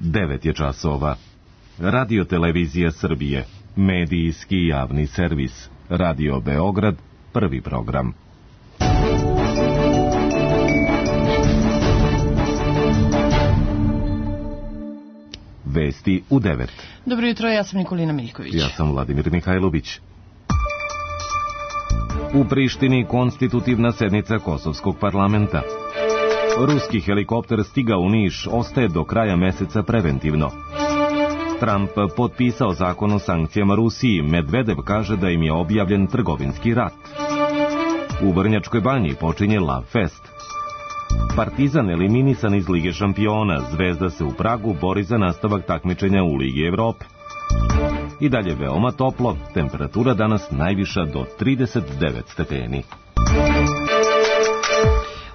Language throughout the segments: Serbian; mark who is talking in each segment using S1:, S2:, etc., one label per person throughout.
S1: 9 je časova. Radio Televizija Srbije, medijski javni servis. Radio Beograd, prvi program. Vesti u 9.
S2: Dobro jutro, ja sam Nikolina Miljković.
S1: Ja sam Vladimir Mihajlović. U Prištini konstitutivna sednica Kosovskog parlamenta. Ruski helikopter stigao u Niš, ostaje do kraja meseca preventivno. Trump potpisao zakon o sankcijama Rusiji, Medvedev kaže da im je objavljen trgovinski rat. U Vrnjačkoj banji počinje Lav Fest. Partizan eliminisan iz Lige šampiona, Zvezda se u Pragu bori za nastavak takmičenja u Ligi Evrope. I dalje veoma toplo, temperatura danas najviša do 39 stepeni.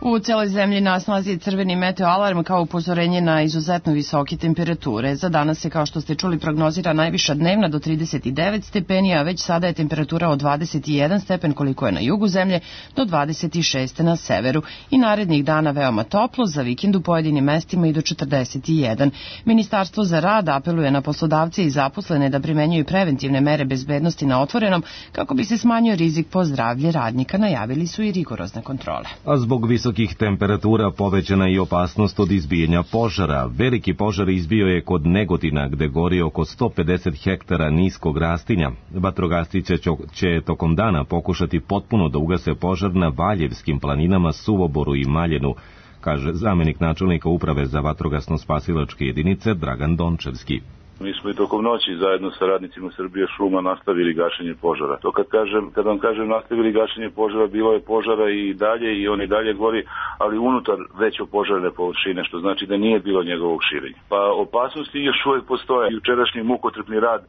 S2: U celoj zemlji na snazi je crveni meteoalarm kao upozorenje na izuzetno visoke temperature. Za danas se, kao što ste čuli, prognozira najviša dnevna do 39 stepeni, a već sada je temperatura od 21 stepen koliko je na jugu zemlje do 26 na severu. I narednih dana veoma toplo, za vikend u pojedinim mestima i do 41. Ministarstvo za rad apeluje na poslodavce i zaposlene da primenjuju preventivne mere bezbednosti na otvorenom kako bi se smanjio rizik po zdravlje radnika. Najavili su i rigorozne kontrole.
S1: A zbog visokih temperatura povećana i opasnost od izbijanja požara. Veliki požar izbio je kod Negotina, gde gori oko 150 hektara niskog rastinja. Vatrogasci će tokom dana pokušati potpuno da ugase požar na Valjevskim planinama, Suvoboru i Maljenu, kaže zamenik načelnika uprave za vatrogasno-spasilačke jedinice Dragan Dončevski.
S3: Mi smo i tokom noći zajedno sa radnicima Srbije šuma nastavili gašenje požara. To kad vam kažem nastavili gašenje požara, bilo je požara i dalje i on i dalje gori, ali unutar veće požarne površine, što znači da nije bilo njegovog širenja. Pa opasnosti još uvijek postoje. Jučerašnji mukotrpni rad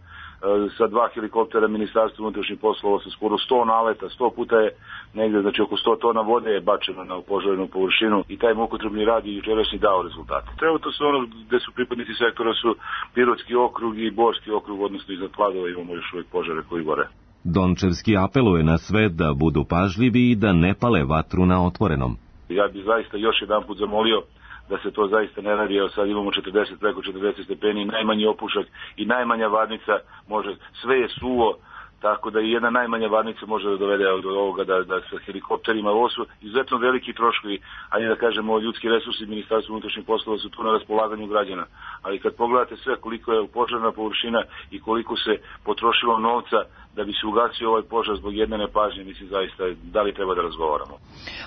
S3: sa 2 helikoptera Ministarstva unutrašnjih poslova sa skoro 100 naleta, 100 puta je negdje, znači oko 100 tona vode je bačeno na požarnu površinu i taj mukotrpni rad je jučerašnji dao rezultate. Trenutno su ono gde su pripadnici sektora su Pirotski okrug i Borski okrug, odnosno iznad Kladova imamo još uvijek požare koji gore. Dončevski apeluje na sve da budu pažljivi i da ne pale vatru na otvorenom. Ja bih zaista još jedan put zamolio da se to zaista ne radi, evo sad imamo preko 40 stepeni, najmanji opušak i najmanja varnica može, sve je suvo, tako da i jedna najmanja varnica može da dovede do ovoga da sa helikopterima, ovo su izuzetno veliki troškovi, ali da kažemo ljudski resursi Ministarstva unutrašnjih poslova su tu na raspolaganju građana, ali kad pogledate sve koliko je požarna površina i koliko se potrošilo novca da bi se ugasio ovaj požar zbog jedne nepažnje, mislim zaista da li treba da razgovaramo.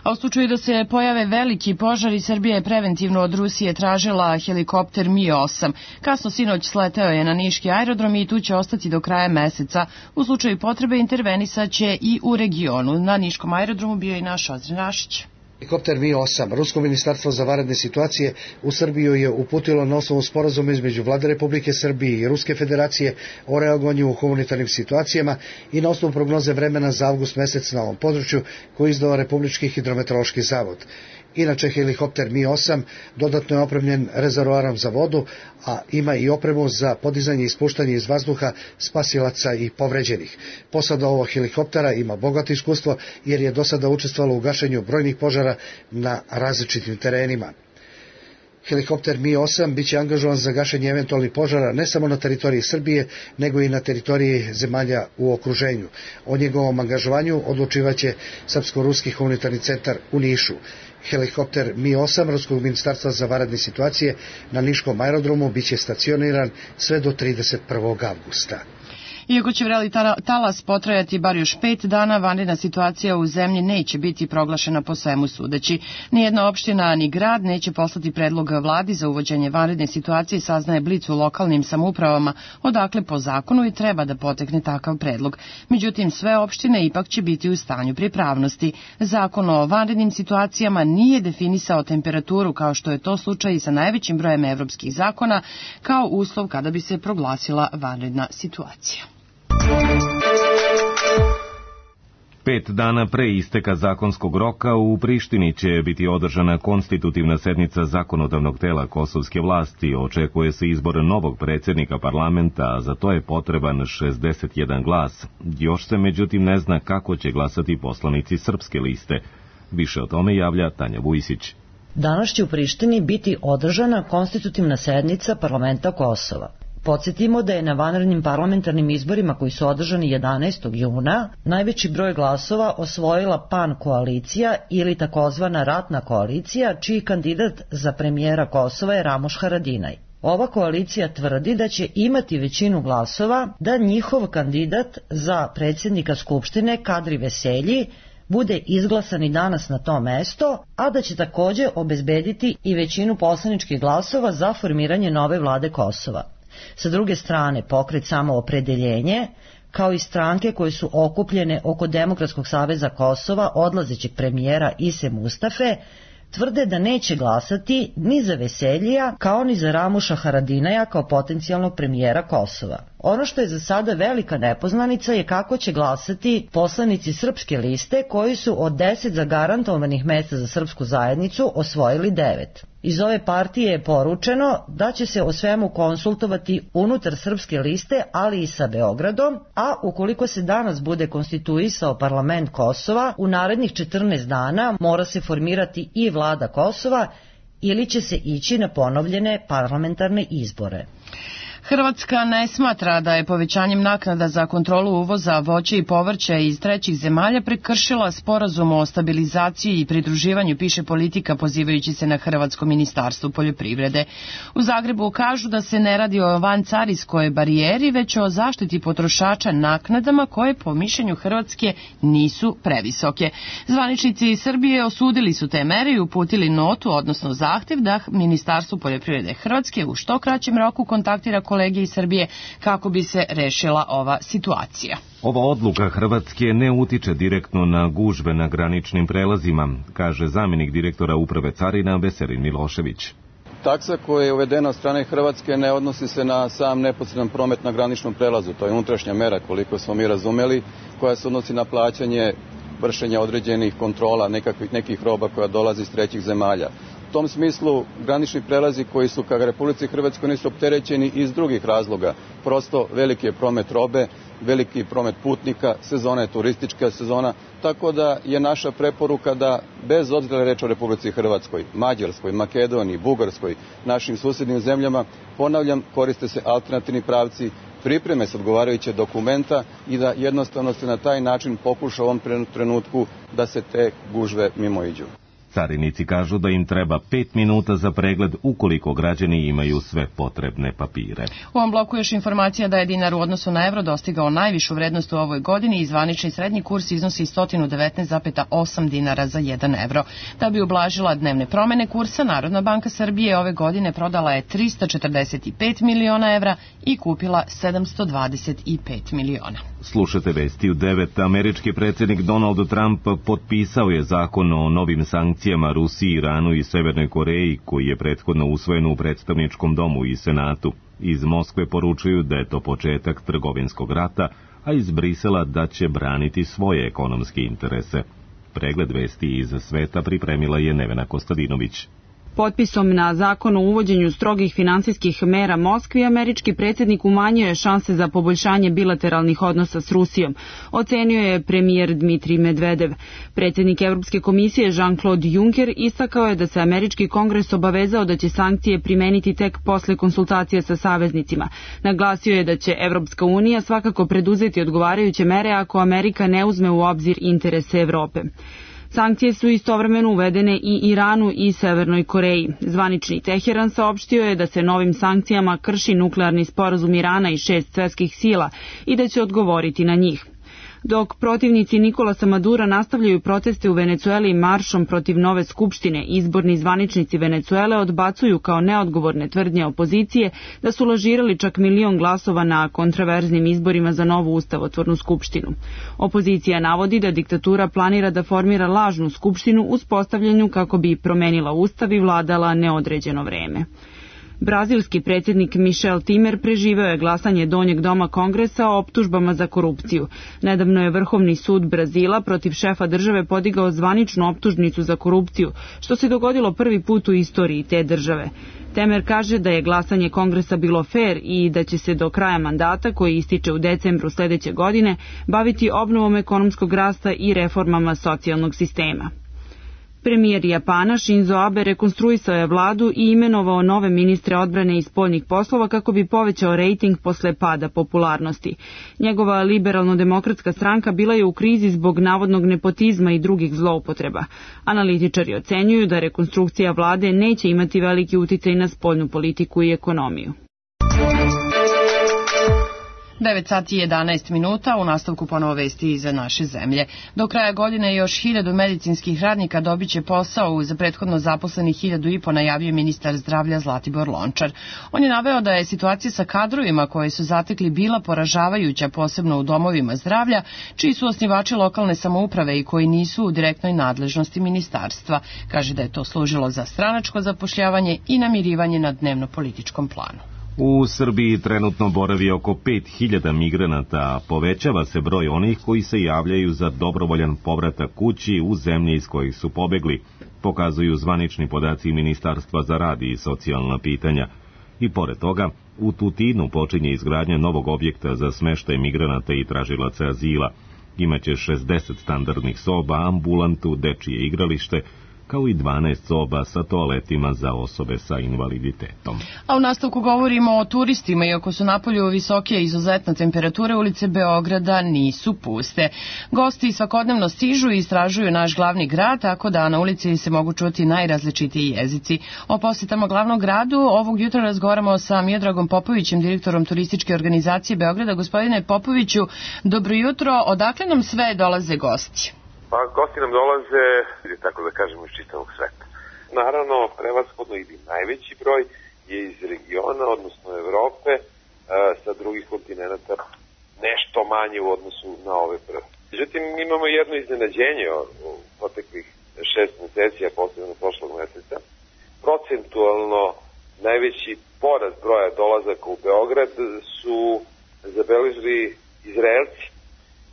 S2: A u slučaju da se pojave veliki požari, Srbija je preventivno od Rusije tražila helikopter Mi-8. Kasno sinoć sleteo je na niški aerodrom i tu će ostati do kraja meseca. U slučaju potrebe intervenisaće i u regionu. Na niškom aerodromu bio i naš Ozren Rašić.
S4: Helikopter Mi-8, Rusko ministarstvo za vanredne situacije u Srbiju je uputilo na osnovu sporazuma između Vlade Republike Srbije i Ruske federacije o reagovanju u humanitarnim situacijama i na osnovu prognoze vremena za avgust mesec na ovom području koji izdao Republički hidrometeorološki zavod. Inače, helikopter Mi-8 dodatno je opremljen rezervoarom za vodu, a ima i opremu za podizanje i ispuštanje iz vazduha spasilaca i povređenih. Posada ovog helikoptera ima bogato iskustvo jer je do sada učestvovalo u gašenju brojnih požara na različitim terenima. Helikopter Mi-8 biće angažovan za gašenje eventualnih požara ne samo na teritoriji Srbije, nego i na teritoriji zemalja u okruženju. O njegovom angažovanju odlučivaće Srpsko-ruski humanitarni centar u Nišu. Helikopter Mi-8 Ruskog ministarstva za vanredne situacije na niškom aerodromu biće stacioniran sve do 31. avgusta.
S2: Iako će vreli talas potrajati bar još 5 dana, vanredna situacija u zemlji neće biti proglašena po svemu sudeći. Nijedna opština ni grad neće poslati predlog vladi za uvođenje vanredne situacije, saznaje Blic u lokalnim samoupravama, odakle po zakonu i treba da potekne takav predlog. Međutim, sve opštine ipak će biti u stanju pripravnosti. Zakon o vanrednim situacijama nije definisao temperaturu, kao što je to slučaj i sa najvećim brojem evropskih zakona, kao uslov kada bi se proglasila vanredna situacija.
S1: 5 dana pre isteka zakonskog roka u Prištini će biti održana konstitutivna sednica zakonodavnog tela kosovske vlasti. Očekuje se izbor novog predsjednika parlamenta, a za to je potreban 61 glas. Još se međutim ne zna kako će glasati poslanici srpske liste. Više o tome javlja Tanja Vujsić.
S5: Danas će u Prištini biti održana konstitutivna sednica parlamenta Kosova. Podsjetimo da je na vanrednim parlamentarnim izborima koji su održani 11. juna najveći broj glasova osvojila PAN koalicija ili takozvana ratna koalicija, čiji kandidat za premijera Kosova je Ramuš Haradinaj. Ova koalicija tvrdi da će imati većinu glasova da njihov kandidat za predsjednika Skupštine Kadri Veselji bude izglasan i danas na to mesto, a da će također obezbediti i većinu poslaničkih glasova za formiranje nove vlade Kosova. Sa druge strane, pokret Samoopredeljenje, kao i stranke koje su okupljene oko Demokratskog saveza Kosova odlazećeg premijera Ise Mustafe, tvrde da neće glasati ni za Veseljija kao ni za Ramuša Haradinaja kao potencijalnog premijera Kosova. Ono što je za sada velika nepoznanica je kako će glasati poslanici Srpske liste koji su od 10 zagarantovanih mesta za srpsku zajednicu osvojili 9. Iz ove partije je poručeno da će se o svemu konsultovati unutar Srpske liste, ali i sa Beogradom, a ukoliko se danas bude konstituisao parlament Kosova, u narednih 14 dana mora se formirati i vlada Kosova ili će se ići na ponovljene parlamentarne izbore.
S2: Hrvatska ne smatra da je povećanjem naknada za kontrolu uvoza voća i povrća iz trećih zemalja prekršila sporazum o stabilizaciji i pridruživanju, piše Politika pozivajući se na Hrvatsko ministarstvo poljoprivrede. U Zagrebu kažu da se ne radi o vancarinskoj barijeri, već o zaštiti potrošača naknadama koje po mišljenju Hrvatske nisu previsoke. Zvaničnici Srbije osudili su te mere i uputili notu, odnosno zahtjev da Ministarstvo poljoprivrede Hrvatske u što kraćem roku kontaktira kolege iz Srbije kako bi se rešila ova situacija.
S1: Ova odluka Hrvatske ne utiče direktno na gužve na graničnim prelazima, kaže zamjenik direktora Uprave carina Veselin Milošević.
S6: Taksa koja je uvedena od strane Hrvatske ne odnosi se na sam neposredan promet na graničnom prelazu. To je unutrašnja mera, koliko smo mi razumeli, koja se odnosi na plaćanje vršenja određenih kontrola nekih roba koja dolazi iz trećih zemalja. U tom smislu granični prelazi koji su ka Republici Hrvatskoj nisu opterećeni iz drugih razloga. Prosto veliki je promet robe, veliki promet putnika, sezona je turistička sezona, tako da je naša preporuka da bez obzira reč o Republici Hrvatskoj, Mađarskoj, Makedoniji, Bugarskoj, našim susjednim zemljama, ponavljam, koriste se alternativni pravci, pripreme se odgovarajuće dokumenta i da jednostavno se na taj način pokuša u ovom trenutku da se te gužve mimoiđu.
S1: Carinici kažu da im treba 5 minuta za pregled ukoliko građani imaju sve potrebne papire.
S2: U ovom bloku još informacija da je dinar u odnosu na evro dostigao najvišu vrednost u ovoj godini i zvanični srednji kurs iznosi 119,8 dinara za 1 evro. Da bi ublažila dnevne promene kursa, Narodna banka Srbije ove godine prodala je 345 miliona evra i kupila 725 miliona.
S1: Slušate vesti u 9. Američki predsjednik Donald Trump potpisao je zakon o novim sankcijama Rusiji, Iranu i Severnoj Koreji, koji je prethodno usvojen u predstavničkom domu i Senatu. Iz Moskve poručuju da je to početak trgovinskog rata, a iz Brisela da će braniti svoje ekonomske interese. Pregled vesti iz sveta pripremila je Nevena Kostadinović.
S7: Potpisom na zakon o uvođenju strogih finansijskih mera Moskvi, američki predsjednik umanjuje šanse za poboljšanje bilateralnih odnosa s Rusijom, ocenio je premijer Dmitrij Medvedev. Predsjednik Evropske komisije Jean-Claude Juncker istakao je da se američki kongres obavezao da će sankcije primeniti tek posle konsultacija sa saveznicima. Naglasio je da će Evropska unija svakako preduzeti odgovarajuće mere ako Amerika ne uzme u obzir interese Evrope. Sankcije su istovremeno uvedene i Iranu i Severnoj Koreji. Zvanični Teheran saopštio je da se novim sankcijama krši nuklearni sporazum Irana i 6 svjetskih sila i da će odgovoriti na njih. Dok protivnici Nikolasa Madura nastavljaju proteste u Venecueli maršom protiv nove skupštine, izborni zvaničnici Venecuele odbacuju kao neodgovorne tvrdnje opozicije da su lažirali čak 1 milion glasova na kontraverznim izborima za novu ustavotvornu skupštinu. Opozicija navodi da diktatura planira da formira lažnu skupštinu uz postavljanju kako bi promenila ustav i vladala neodređeno vreme. Brazilski predsjednik Michel Temer preživeo je glasanje donjeg doma kongresa o optužbama za korupciju. Nedavno je Vrhovni sud Brazila protiv šefa države podigao zvaničnu optužnicu za korupciju, što se dogodilo prvi put u istoriji te države. Temer kaže da je glasanje kongresa bilo fer i da će se do kraja mandata, koji ističe u decembru sljedeće godine, baviti obnovom ekonomskog rasta i reformama socijalnog sistema. Premijer Japana Shinzo Abe rekonstruisao je vladu i imenovao nove ministre odbrane i spoljnih poslova kako bi povećao rejting posle pada popularnosti. Njegova liberalno-demokratska stranka bila je u krizi zbog navodnog nepotizma i drugih zloupotreba. Analitičari ocenjuju da rekonstrukcija vlade neće imati veliki uticaj na spoljnu politiku i ekonomiju.
S2: 9 sati i 11 minuta, u nastavku ponovo vesti iza naše zemlje. Do kraja godine još 1000 medicinskih radnika dobiće posao uz prethodno zaposlenih 1500, najavio ministar zdravlja Zlatibor Lončar. On je naveo da je situacija sa kadrovima koje su zatekli bila poražavajuća, posebno u domovima zdravlja, čiji su osnivači lokalne samouprave i koji nisu u direktnoj nadležnosti ministarstva. Kaže da je to služilo za stranačko zapošljavanje i namirivanje na dnevno-političkom planu.
S1: U Srbiji trenutno boravi oko 5000 migranata, a povećava se broj onih koji se javljaju za dobrovoljan povratak kući u zemlje iz kojih su pobegli, pokazuju zvanični podaci Ministarstva za rad i socijalna pitanja. I pored toga, u Tutinu počinje izgradnja novog objekta za smeštaj migranata i tražilaca azila. Imaće 60 standardnih soba, ambulantu, dečije igralište, kao i 12 soba sa toaletima za osobe sa invaliditetom.
S2: A u nastavku govorimo o turistima. Iako su napolju visoke izuzetne temperature, ulice Beograda nisu puste. Gosti svakodnevno stižu i istražuju naš glavni grad, tako da na ulici se mogu čuti najrazličitiji jezici. O posjetama glavnog gradu ovog jutra razgovaramo sa Miodragom Popovićem, direktorom turističke organizacije Beograda. Gospodine Popoviću, dobro jutro. Odakle nam sve dolaze gosti?
S8: Pa gosti nam dolaze, tako da kažemo, iz čitavog sveta. Naravno, prevashodno ili najveći broj je iz regiona, odnosno Evrope, sa drugih kontinenta nešto manje u odnosu na ove prve. Međutim, imamo jedno iznenađenje u proteklih 6 meseci, a posebno prošlog meseca. Procentualno najveći porast broja dolazaka u Beograd su zabeležili Izraelci.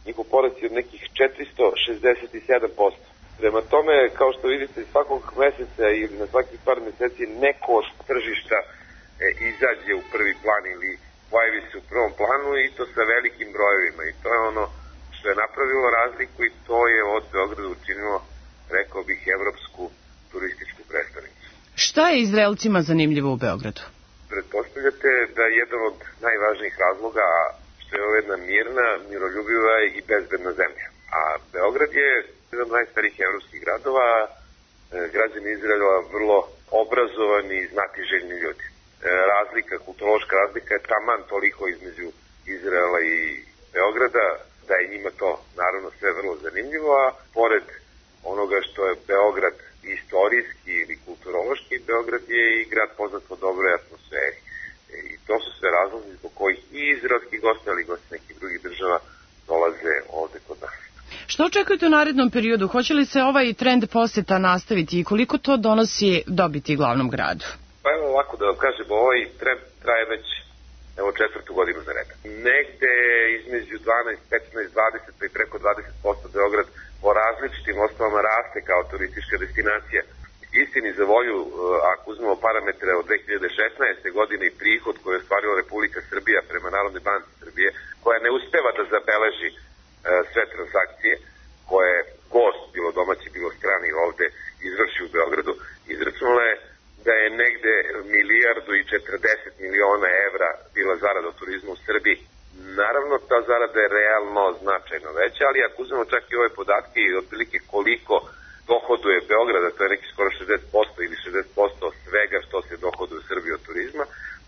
S8: Njihov porast je od nekih 467%. Prema tome, kao što vidite, svakog meseca ili na svakih par meseci neko od tržišta izađe u prvi plan ili pojavi se u prvom planu i to sa velikim brojevima. I to je ono što je napravilo razliku i to je od Beograda učinilo, rekao bih, evropsku turističku prestonicu.
S2: Šta je Izraelcima zanimljivo u Beogradu?
S8: Pretpostavljate da je jedan od najvažnijih razloga što je ovo jedna mirna, miroljubiva i bezbedna zemlja. A Beograd je jedan od najstarijih evropskih gradova, građani Izraela vrlo obrazovani i znatiželjni ljudi. Kulturološka razlika je taman toliko između Izraela i Beograda, da je njima to naravno sve vrlo zanimljivo, a pored onoga što je Beograd istorijski ili kulturološki, Beograd je i grad poznat po dobroj atmosferi. I to su sve razlozi zbog kojih i izraelski gosti, ali i gosti nekih drugih država dolaze ovde kod nas.
S2: Što očekujete u narednom periodu? Hoće li se ovaj trend poseta nastaviti i koliko to donosi dobiti glavnom gradu?
S8: Pa evo ovako da vam kažem, ovaj trend traje već 4. godinu za redom. Negde između 12, 15, 20 pa i preko 20% Beograd po različitim osnovama raste kao turistička destinacija. Istini za volju, ako uzmemo parametre od 2016. godine i prihod koji je ostvarila Republika Srbija prema Narodnoj banci Srbije, koja ne uspeva da zabeleži sve transakcije koje gost, bilo domaći, bilo strani, ovde izvrši u Beogradu, izračunala je da je negde 1,40 milijardi evra bila zarada od turizma u Srbiji. Naravno, ta zarada je realno značajno veća, ali ako uzmemo čak i ove podatke i otprilike koliko dohoduje Beograda, to je neki skoro 60% ili 60% svega što se dohoduje u Srbiji od turizma,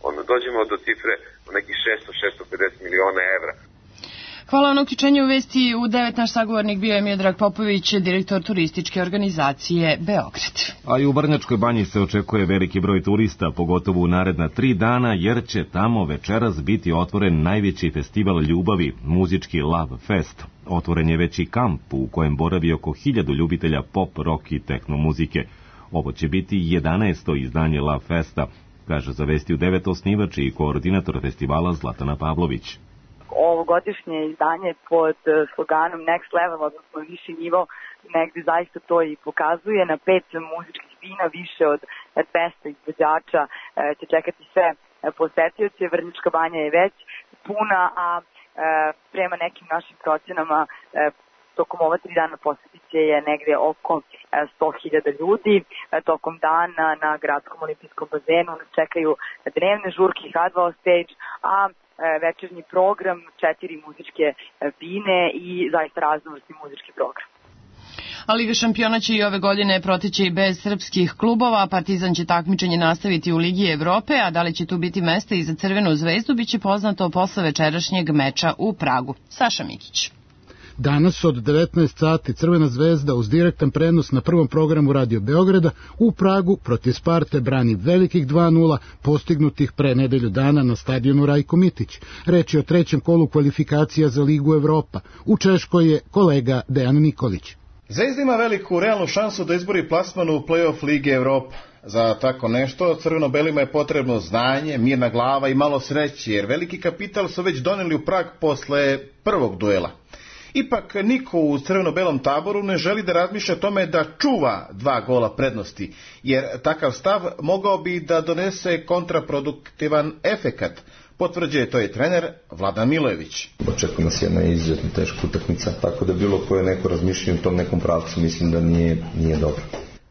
S8: onda dođemo do cifre od nekih 600-650 miliona evra.
S2: Hvala na uključenju u vesti. U 9 naš sagovornik bio je Miodrag Popović, direktor turističke organizacije Beograd.
S1: A i u Vrnjačkoj banji se očekuje veliki broj turista, pogotovo u naredna 3 dana, jer će tamo večeras biti otvoren najveći festival ljubavi, muzički Love Fest. Otvoren je već i kamp u kojem boravi oko 1000 ljubitelja pop, rock i techno muzike. Ovo će biti 11. izdanje Love Festa, kaže za vesti u 9 osnivač i koordinator festivala Zlatana Pavlović.
S9: Ovogodišnje izdanje pod sloganom Next Level, odnosno viši nivo, negde zaista to i pokazuje. Na 5 muzičkih scena, više od 200 izvođača će čekati sve posetioce. Vrnjačka banja je već puna, a prema nekim našim procenama tokom ova 3 dana posjetit će je negde oko 100.000 ljudi. Tokom dana na gradskom olimpijskom bazenu nas čekaju dnevne žurke Hardball Stage, a večernji program, 4 muzičke bine i zaista raznovrsni muzički program.
S2: A Liga šampiona će i ove godine proteći i bez srpskih klubova. Partizan će takmičenje nastaviti u Ligi Evrope, a da li će tu biti mesta i za Crvenu zvezdu biće poznato posle večerašnjeg meča u Pragu. Saša Mikić.
S10: Danas od 19 sati Crvena zvezda uz direktan prenos na prvom programu Radio Beograda u Pragu protiv Sparte brani velikih 2:0 postignutih pre nedelju dana na stadionu Rajko Mitić. Reč je o trećem kolu kvalifikacija za Ligu Evropa. U Češkoj je kolega Dejan Nikolić.
S11: Zvezda ima veliku realnu šansu da izbori plasman u play-off Lige Evropa. Za tako nešto crveno-belima je potrebno znanje, mirna glava i malo sreće, jer veliki kapital su već doneli u Prag posle prvog duela. Ipak niko u crveno-belom taboru ne želi da razmišlja o tome da čuva 2 gola prednosti, jer takav stav mogao bi da donese kontraproduktivan efekat. Potvrđuje to je trener Vladan Milojević.
S12: Očekuje nas jedna izuzetno teška utakmica, tako da bilo koje neko razmišljanje u tom nekom pravcu mislim da nije dobro.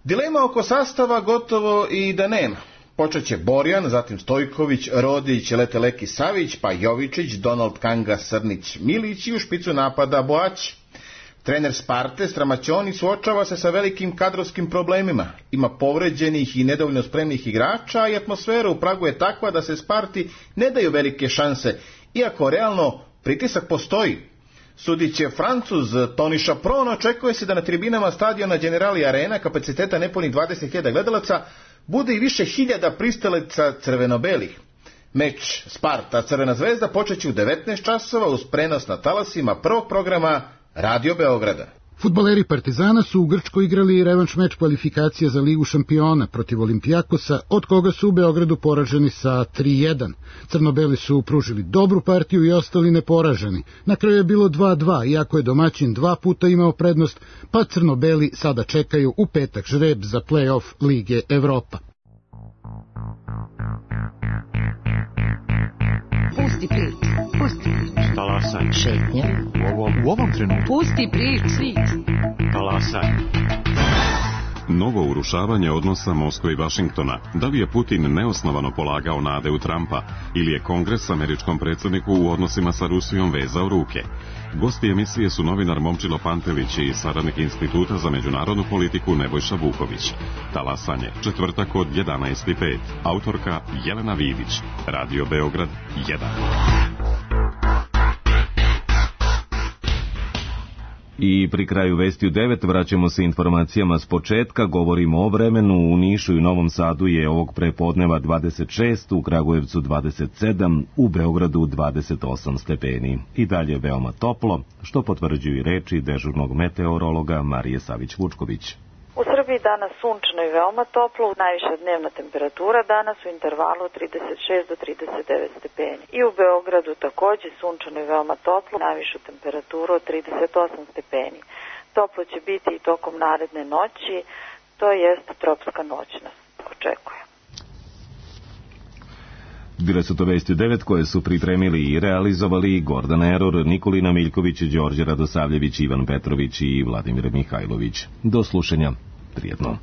S11: Dilema oko sastava gotovo i da nema. Počeće Borjan, zatim Stojković, Rodić, Leteleki Savić, pa Jovičić, Donald Kanga, Srnić, Milić i u špicu napada Boać. Trener Sparte Stramaćoni suočava se sa velikim kadrovskim problemima. Ima povređenih i nedovoljno spremnih igrača i atmosfera u Pragu je takva da se Sparti ne daju velike šanse, iako realno pritisak postoji. Sudiće Francuz Toni Šapron, očekuje se da na tribinama stadiona Generali Arena kapaciteta nepunih 20.000 gledalaca bude i više hiljada pristalica crveno-belih. Meč Sparta Crvena zvezda počeće u 19 časova uz prenos na talasima prvog programa Radio Beograda.
S10: Fudbaleri Partizana su u Grčkoj igrali revanš meč kvalifikacija za Ligu šampiona protiv Olimpijakosa, od koga su u Beogradu poraženi sa 3:1. Crnobeli su pružili dobru partiju i ostali neporaženi. Na kraju je bilo 2:2, iako je domaćin 2 puta imao prednost, pa Crnobeli sada čekaju u petak žreb za play-off Lige Evropa.
S13: Pusti priču, pusti priču.
S14: Talasaj.
S13: Šetnja.
S14: U ovom trenutku.
S13: Pusti priču.
S14: Talasaj.
S15: Novo urušavanje odnosa Moskve i Vašingtona. Da li je Putin neosnovano polagao nade u Trumpa ili je Kongres američkom predsjedniku u odnosima sa Rusijom vezao ruke? Gosti emisije su novinar Momčilo Pantelić i saradnik Instituta za međunarodnu politiku Nebojša Vuković. Talasanje, četvrtak od 11:05. Autorka Jelena Vidić. Radio Beograd 1.
S1: I pri kraju vesti u 9 vraćamo se informacijama s početka. Govorimo o vremenu. U Nišu i Novom Sadu je ovog prepodneva 26, u Kragujevcu 27, u Beogradu 28 stepeni. I dalje veoma toplo, što potvrđuju i reči dežurnog meteorologa Marije Savić-Vučković.
S16: U Srbiji danas sunčano i veoma toplo, najviša dnevna temperatura danas u intervalu 36 do 39 stepeni. I u Beogradu takođe sunčano i veoma toplo, najvišu temperaturu od 38 stepeni. Toplo će biti i tokom naredne noći, to jest tropska noć nas očekuje.
S1: Bile su to vesti u 9 koje su pripremili i realizovali Gordana Eror, Nikolina Miljković, Đorđe Radosavljević, Ivan Petrović i Vladimir Mihajlović. Do slušanja. Prijetno.